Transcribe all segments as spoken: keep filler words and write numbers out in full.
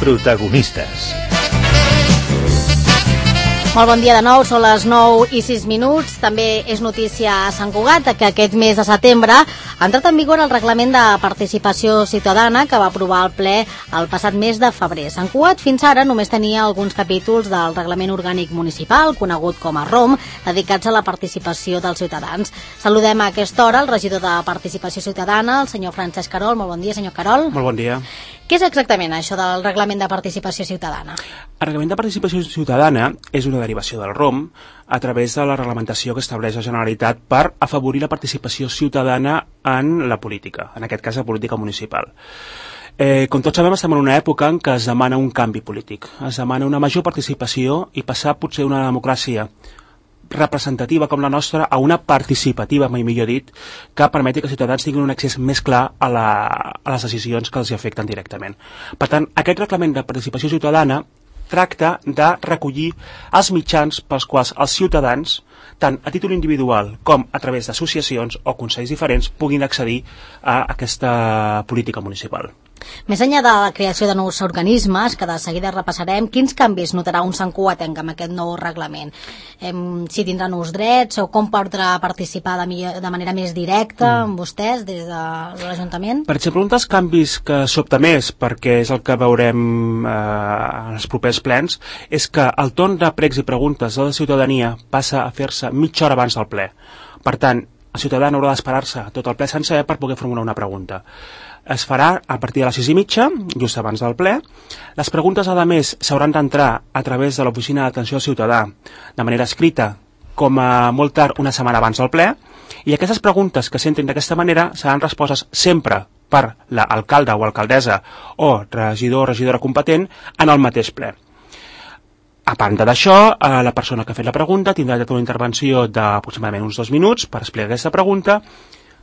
Protagonistes. Molt bon dia de nou, són les nou i sis minuts. També és notícia a Sant Cugat que aquest mes de setembre ha entrat en vigor el reglament de participació ciutadana que va aprovar el ple el passat mes de febrer. Sant Cugat fins ara només tenia alguns capítols del reglament orgànic municipal, conegut com a ROM, dedicats a la participació dels ciutadans. Saludem a aquesta hora el regidor de Participació Ciutadana, el senyor Francesc Carol. Molt bon dia, senyor Carol. Molt bon dia. Què és exactament això del reglament de participació ciutadana? El reglament de participació ciutadana és una derivació del ROM a través de la reglamentació que estableix la Generalitat per afavorir la participació ciutadana en la política, en aquest cas la política municipal. Eh, com tots sabem, estem en una època en què es demana un canvi polític, es demana una major participació i passar potser una democràcia representativa com la nostra a una participativa, mai millor dit, que permeti que els ciutadans tinguin un accés més clar a, la, a les decisions que els afecten directament. Per tant, aquest reglament de participació ciutadana tracta de recollir els mitjans pels quals els ciutadans, tant a títol individual com a través d'associacions o consells diferents, puguin accedir a aquesta política municipal. Més enllà de la creació de nous organismes, que de seguida repassarem, quins canvis notarà un santcugatenc amb aquest nou reglament? Em, si tindrà nous drets o com podrà participar de, millor, de manera més directa mm. amb vostès des de l'Ajuntament? Per exemple, un dels canvis que sobta més, perquè és el que veurem eh, en els propers plens, és que el torn de pregs i preguntes de la ciutadania passa a fer-se mitja hora abans del ple. Per tant, el ciutadà no haurà d'esperar-se tot el ple sencer per poder formular una pregunta. Es farà a partir de les sis i mitja, just abans del ple. Les preguntes, a més, s'hauran d'entrar a través de l'Oficina d'Atenció al Ciutadà de manera escrita, com a molt tard una setmana abans del ple, i aquestes preguntes que s'entrin d'aquesta manera seran respostes sempre per l'alcalde o alcaldessa o regidor o regidora competent en el mateix ple. A banda d'això, la persona que ha fet la pregunta tindrà una intervenció d'aproximadament uns dos minuts per explicar aquesta pregunta.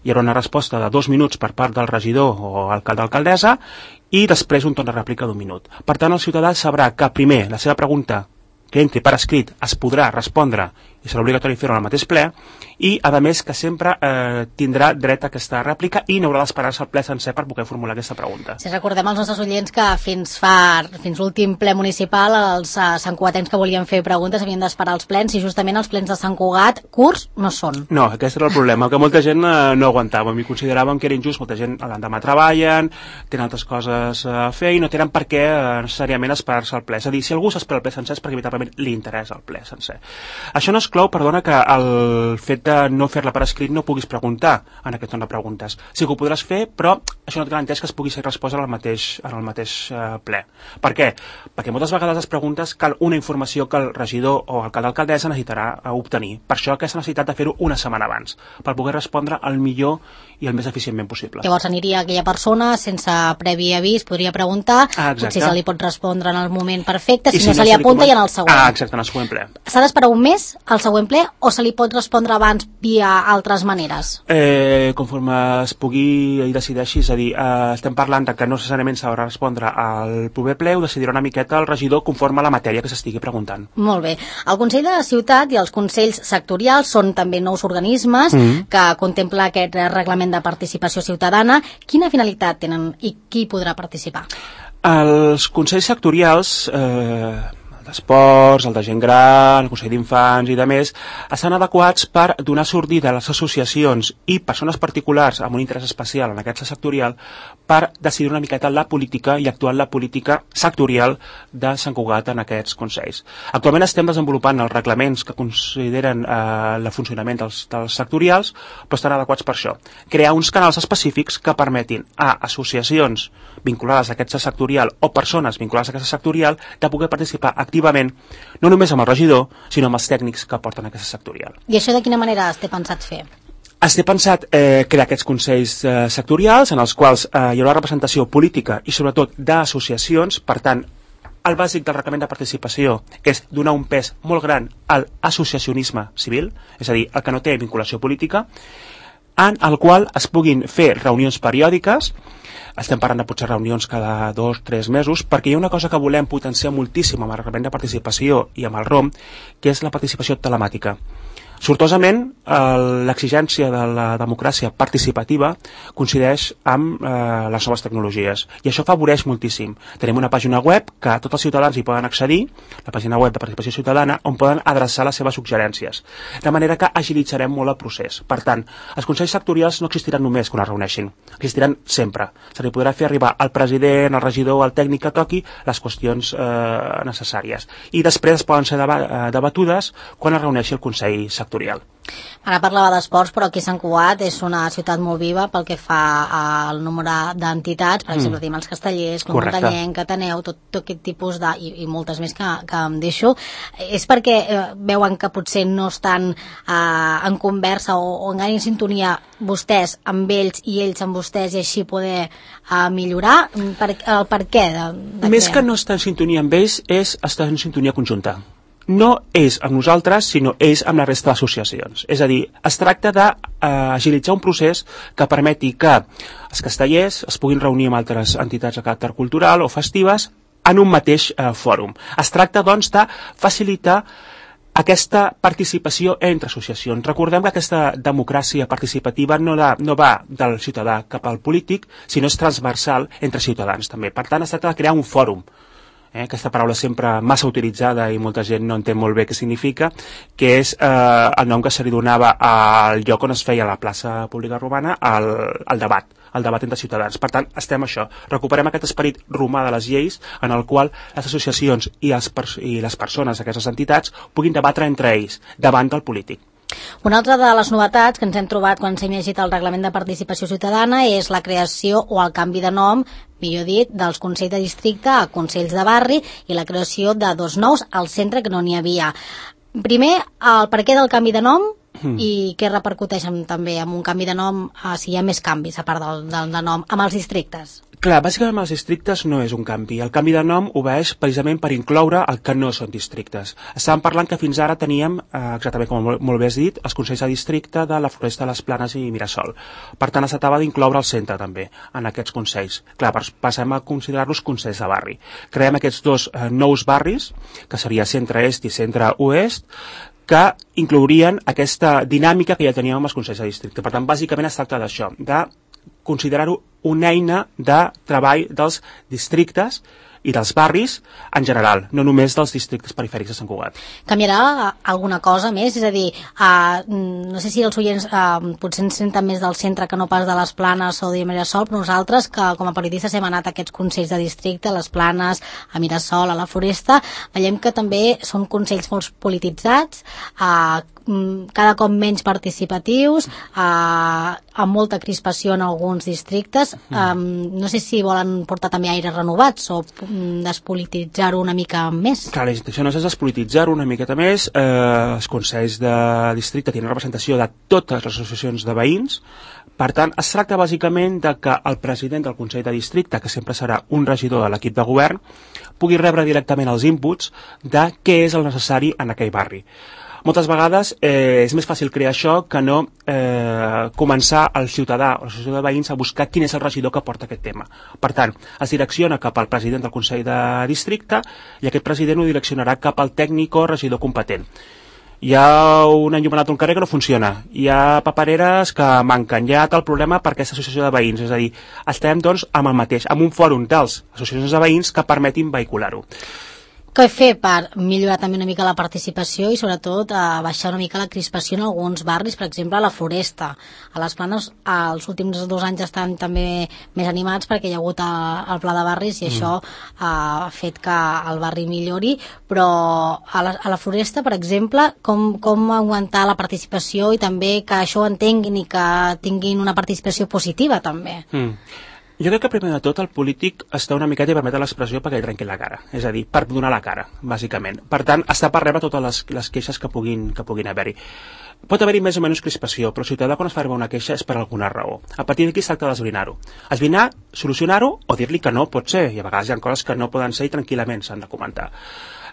Hi haurà una resposta de dos minuts per part del regidor o alcalde o alcaldessa i després un torn de rèplica d'un minut. Per tant, el ciutadà sabrà que primer la seva pregunta que entri per escrit es podrà respondre i serà obligatori fer-ho al mateix ple i, a més, que sempre eh, tindrà dret a aquesta rèplica i no haurà d'esperar-se al ple sencer per poder formular aquesta pregunta. Si recordem als nostres oients que fins fa fins l'últim ple municipal els uh, santcugatencs que volien fer preguntes havien d'esperar els plens i justament els plens de Sant Cugat curts no són. No, aquest era el problema, que molta gent eh, no aguantàvem i consideràvem que era injust. Molta gent a l'endemà treballen, tenen altres coses a fer i no tenen per què eh, necessàriament esperar-se al ple. És a dir, si algú s'espera el ple sencer és perquè veritablement li interessa el ple sencer. Això no exclou, perdona, que el fet de no fer-la per escrit no puguis preguntar en aquest torn de preguntes. Sí que ho podràs fer, però això no et garanteix que es pugui ser resposta en el mateix, en el mateix eh, ple. Per què? Perquè moltes vegades les preguntes cal una informació que el regidor o alcalde alcaldessa necessitarà obtenir. Per això aquesta necessitat de fer-ho una setmana abans, per poder respondre el millor i el més eficientment possible. Llavors aniria aquella persona sense previ avís, podria preguntar, ah, potser se li pot respondre en el moment perfecte, si, si no, no se li apunta i en el següent. Ah, exacte, en el següent ple. S'ha d'esperar un mes al següent ple o se li pot respondre abans via altres maneres? Eh, conforme es pugui i decideixi, és a dir, eh, estem parlant de que no necessàriament s'haurà de respondre al proper ple, ho decidirà una miqueta el regidor conforme a la matèria que s'estigui preguntant. Molt bé. El Consell de la Ciutat i els Consells Sectorials són també nous organismes mm. que contempla aquest reglament de participació ciutadana. Quina finalitat tenen i qui podrà participar? Els consells sectorials, eh, el d'esports, el de gent gran, el Consell d'Infants i de més, estan adequats per donar sortida a les associacions i persones particulars amb un interès especial en aquest sectorial per decidir una miqueta la política i actuar en la política sectorial de Sant Cugat en aquests consells. Actualment estem desenvolupant els reglaments que consideren eh, el funcionament dels, dels sectorials, però estan adequats per això. Crear uns canals específics que permetin a associacions vinculades a aquest sectorial o persones vinculades a aquest sectorial de poder participar activament, no només amb el regidor, sinó amb els tècnics que porten a aquest sectorial. I això de quina manera es té pensat fer? Es té pensat eh, crear aquests consells eh, sectorials en els quals eh, hi haurà representació política i sobretot d'associacions. Per tant, el bàsic del reglament de participació és donar un pes molt gran al associacionisme civil, és a dir, el que no té vinculació política, en el qual es puguin fer reunions periòdiques. Estem parlant de potser reunions cada dos o tres mesos, perquè hi ha una cosa que volem potenciar moltíssim amb el reglament de participació i amb el ROM, que és la participació telemàtica. Sortosament, l'exigència de la democràcia participativa coincideix amb eh, les noves tecnologies i això afavoreix moltíssim. Tenim una pàgina web que tots els ciutadans hi poden accedir, la pàgina web de participació ciutadana, on poden adreçar les seves suggerències, de manera que agilitzarem molt el procés. Per tant, els consells sectorials no existiran només quan es reuneixin, existiran sempre. Se li podrà fer arribar al president, al regidor, al tècnic que toqui les qüestions eh, necessàries i després es poden ser debatudes quan es reuneixi el Consell Sectorial. Ara parlava d'esports, però aquí Sant Cugat és una ciutat molt viva pel que fa al nombre d'entitats, per exemple, mm. tenim els Castellers, Club Muntanyenc, Ateneu, tot, tot aquest tipus de, i, i moltes més que, que em deixo. És perquè eh, veuen que potser no estan eh, en conversa o, o en gaire sintonia vostès amb ells i ells amb vostès i així poder eh, millorar? Per, el per què? De, de Més que no estar en sintonia amb ells, és estar en sintonia conjunta. No és amb nosaltres, sinó és amb la resta d'associacions. És a dir, es tracta d'agilitzar un procés que permeti que els castellers es puguin reunir amb altres entitats de caràcter cultural o festives en un mateix eh, fòrum. Es tracta, doncs, de facilitar aquesta participació entre associacions. Recordem que aquesta democràcia participativa no, da, no va del ciutadà cap al polític, sinó és transversal entre ciutadans també. Per tant, es tracta de crear un fòrum. Eh, aquesta paraula sempre massa utilitzada i molta gent no entén molt bé què significa, que és eh, el nom que se li donava al lloc on es feia la plaça pública romana al, al debat, el debat entre ciutadans. Per tant, estem això, recuperem aquest esperit romà de les lleis en el qual les associacions i, els, i les persones d'aquestes entitats puguin debatre entre ells davant del polític. Una altra de les novetats que ens hem trobat quan s'ha llegit el Reglament de Participació Ciutadana és la creació o el canvi de nom, millor dit, dels Consells de Districte a Consells de Barri i la creació de dos nous al centre que no n'hi havia. Primer, el per què del canvi de nom mm. i què repercuteix amb, també amb un canvi de nom, eh, si hi ha més canvis a part del, del de nom, amb els districtes. Clar, bàsicament amb els districtes no és un canvi. El canvi de nom obeeix precisament per incloure el que no són districtes. Estàvem parlant que fins ara teníem, eh, exactament com molt, molt bé has dit, els consells de districte de la Floresta, les Planes i Mirasol. Per tant, es tractava d'incloure el centre també en aquests consells. Clar, passem a considerar-los consells de barri. Creem aquests dos eh, nous barris, que seria centre-est i centre-oest, que inclourien aquesta dinàmica que ja teníem amb els consells de districte. Per tant, bàsicament es tracta d'això, de considerar-ho una eina de treball dels districtes i dels barris en general, no només dels districtes perifèrics de Sant Cugat. Canviarà alguna cosa més? És a dir, uh, no sé si els oients uh, potser ens senten més del centre que no pas de les Planes o de Mirasol, però nosaltres, que com a periodistes hem anat a aquests consells de districte, a les Planes, a Mirasol, a la Floresta, veiem que també són consells molt polititzats, uh, cada cop menys participatius, eh, amb molta crispació en alguns districtes. Eh, no sé si volen portar també aires renovats o despolititzar-ho una mica més. Clar, la intenció no és despolititzar-ho una miqueta més. Eh, els consells de districte tenen representació de totes les associacions de veïns. Per tant, es tracta bàsicament de que el president del Consell de Districte, que sempre serà un regidor de l'equip de govern, pugui rebre directament els inputs de què és el necessari en aquell barri. Moltes vegades eh, és més fàcil crear això que no eh, començar el ciutadà o l'associació de veïns a buscar quin és el regidor que porta aquest tema. Per tant, es direcciona cap al president del Consell de Districte i aquest president ho direccionarà cap al tècnic o regidor competent. Hi ha un enllumenat un carrer que no funciona, hi ha papereres que manquen, hi ha tal problema per aquesta associació de veïns, és a dir, estem doncs amb el mateix, amb un fòrum dels associacions de veïns que permetin vehicular-ho. Què fer per millorar també una mica la participació i sobretot a baixar una mica la crispació en alguns barris, per exemple a la Floresta. A les Planes els últims dos anys estan també més animats perquè hi ha hagut el pla de barris i mm. això ha fet que el barri millori, però a la, a la Floresta, per exemple, com, com augmentar la participació i també que això ho entenguin i que tinguin una participació positiva també. Mm. Jo crec que primer de tot el polític està una miqueta, i permet l'expressió, perquè li trenqui la cara, és a dir, per donar la cara, bàsicament. Per tant, està per rebre totes les, les queixes que puguin, que puguin haver-hi. Pot haver-hi més o menys crispació, però el ciutadà quan es fa arribar una queixa és per alguna raó. A partir d'aquí es tracta d'esbrinar-ho. Esbrinar, solucionar-ho o dir-li que no pot ser, i a vegades hi ha coses que no poden ser i tranquil·lament s'han de comentar.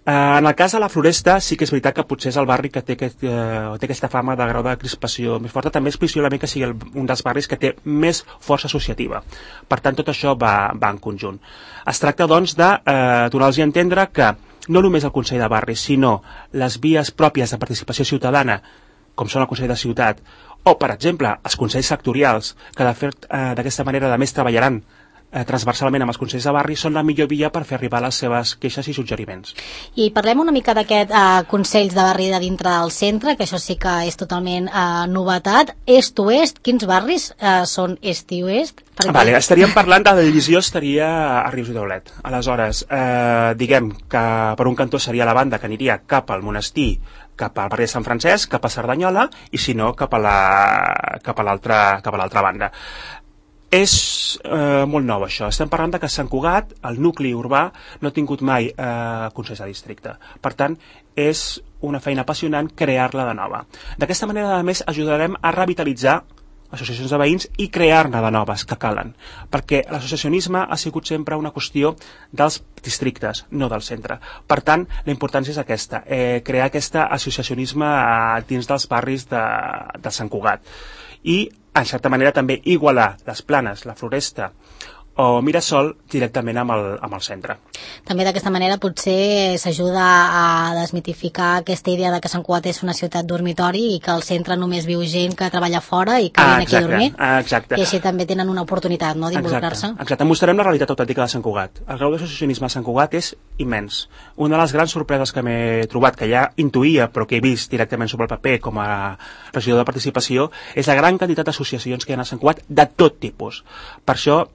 Uh, en el cas de la Floresta sí que és veritat que potser és el barri que té, aquest, uh, té aquesta fama de grau de crispació més forta, també és possiblement que sigui el, un dels barris que té més força associativa. Per tant, tot això va, va en conjunt. Es tracta, doncs, de uh, donar-los a entendre que no només el Consell de Barri, sinó les vies pròpies de participació ciutadana com són el Consell de Ciutat, o, per exemple, els Consells Sectorials, que de fet eh, d'aquesta manera a més treballaran eh, transversalment amb els Consells de Barri, són la millor via per fer arribar les seves queixes i suggeriments. I parlem una mica d'aquest eh, Consells de Barri de dintre del centre, que això sí que és totalment eh, novetat. Est-oest, quins barris eh, són est i oest? Perquè... Vale, estaríem parlant de la divisió estaria a Rius i Daulet. Aleshores, eh, diguem que per un cantó seria la banda que aniria cap al monestir, cap al barri de Sant Francesc, cap a Cerdanyola, i si no, cap a la, cap a l'altra cap a l'altra banda. És eh, molt nou això. Estem parlant de que Sant Cugat, el nucli urbà, no ha tingut mai eh, consells de districte. Per tant, és una feina apassionant crear-la de nova. D'aquesta manera, a més, ajudarem a revitalitzar associacions de veïns i crear-ne de noves que calen, perquè l'associacionisme ha sigut sempre una qüestió dels districtes, no del centre. Per tant, la importància és aquesta, eh, crear aquest associacionisme eh, dins dels barris de, de Sant Cugat i, en certa manera, també igualar les Planes, la Floresta o Mirasol directament amb el, amb el centre. També d'aquesta manera potser s'ajuda a desmitificar aquesta idea de que Sant Cugat és una ciutat dormitori i que al centre només viu gent que treballa fora i que ah, viene aquí a dormir. Ah, exacte. I així també tenen una oportunitat, no, d'involucrar-se. Exacte, exacte. Mostrarem la realitat autèntica de Sant Cugat. El grau d'associacionisme a Sant Cugat és immens. Una de les grans sorpreses que m'he trobat, que ja intuïa però que he vist directament sobre el paper com a regidor de participació, és la gran quantitat d'associacions que hi ha a Sant Cugat de tot tipus. Per això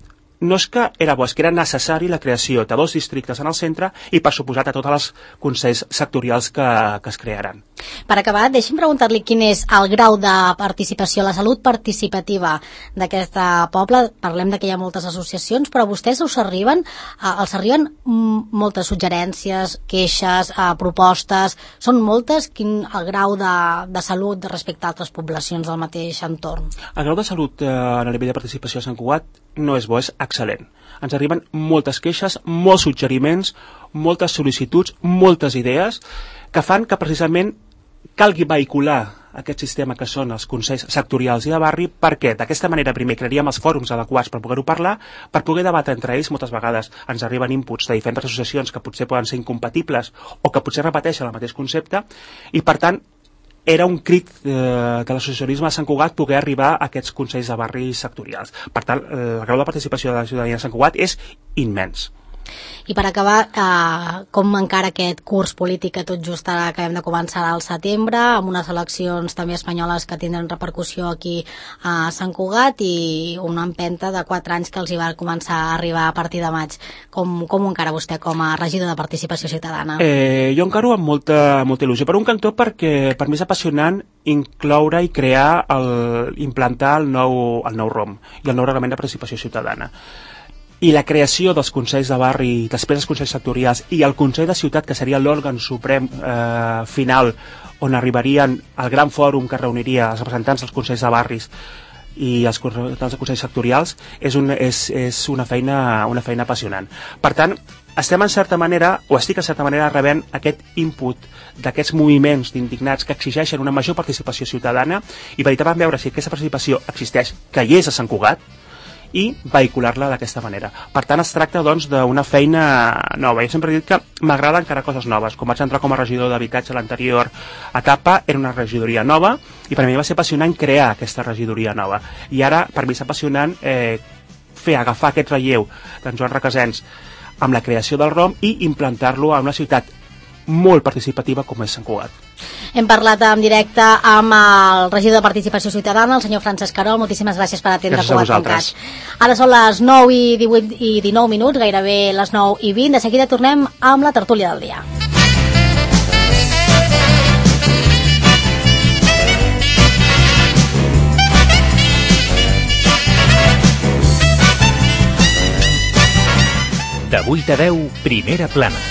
no és que era bo, és que era necessari la creació de dos districtes en el centre i, per suposat, a tots els consells sectorials que, que es crearan. Per acabar, deixi'm preguntar-li quin és el grau de participació, la salut participativa d'aquest poble. Parlem de que hi ha moltes associacions, però vostès us arriben, eh, els arriben moltes suggerències, queixes, eh, propostes, són moltes? Quin el grau de, de salut respecte a altres poblacions del mateix entorn? El grau de salut eh, a nivell de participació a Sant Cugat no és bo, és excel·lent. Ens arriben moltes queixes, molts suggeriments, moltes sol·licituds, moltes idees que fan que precisament calgui vehicular aquest sistema que són els consells sectorials i de barri, perquè d'aquesta manera primer crearíem els fòrums adequats per poder-ho parlar, per poder debatre entre ells. Moltes vegades ens arriben inputs de diferents associacions que potser poden ser incompatibles o que potser repeteixen el mateix concepte, i per tant era un crit eh, de l'associacionisme a Sant Cugat poder arribar a aquests consells de barri sectorials. Per tant, el grau de participació de la ciutadania de Sant Cugat és immens. I per acabar, eh, com encara aquest curs polític que tot just ara acabem de començar al setembre, amb unes eleccions també espanyoles que tindran repercussió aquí a Sant Cugat i una empenta de quatre anys que els hi va començar a arribar a partir de maig. Com, com ho encara vostè com a regidor de Participació Ciutadana? Eh, jo encaro amb molta, molta il·lusió. Per un cantó, perquè per mi és apassionant incloure i crear, el, implantar el nou, el nou R O M i el nou Reglament de Participació Ciutadana. I la creació dels consells de barri, després dels consells sectorials i el Consell de Ciutat, que seria l'òrgan suprem eh, final on arribarien el gran fòrum que reuniria els representants dels consells de barris i els representants dels consells sectorials, és, un, és, és una, feina, una feina apassionant. Per tant, estem en certa manera, o estic en certa manera rebent aquest input d'aquests moviments d'indignats que exigeixen una major participació ciutadana i veritablement veure si aquesta participació existeix, que hi és a Sant Cugat, i vehicular-la d'aquesta manera. Per tant, es tracta doncs d'una feina nova. Jo sempre he dit que m'agrada encara coses noves. Com vaig entrar com a regidor d'habitatge a l'anterior etapa, era una regidoria nova i per mi va ser apassionant crear aquesta regidoria nova. I ara, per mi és apassionant eh, fer, agafar aquest relleu d'en Joan Requesens amb la creació del R O M i implantar-lo a una ciutat molt participativa com és Sant Cugat. Hem parlat en directe amb el regidor de Participació Ciutadana, el senyor Francesc Querol. Moltíssimes gràcies per atendre Cugat.cat. Ara són les nou i divuit i dinou minuts, gairebé les nou i vint. De seguida tornem amb la tertúlia del dia. De vuit a deu, Primera Plana.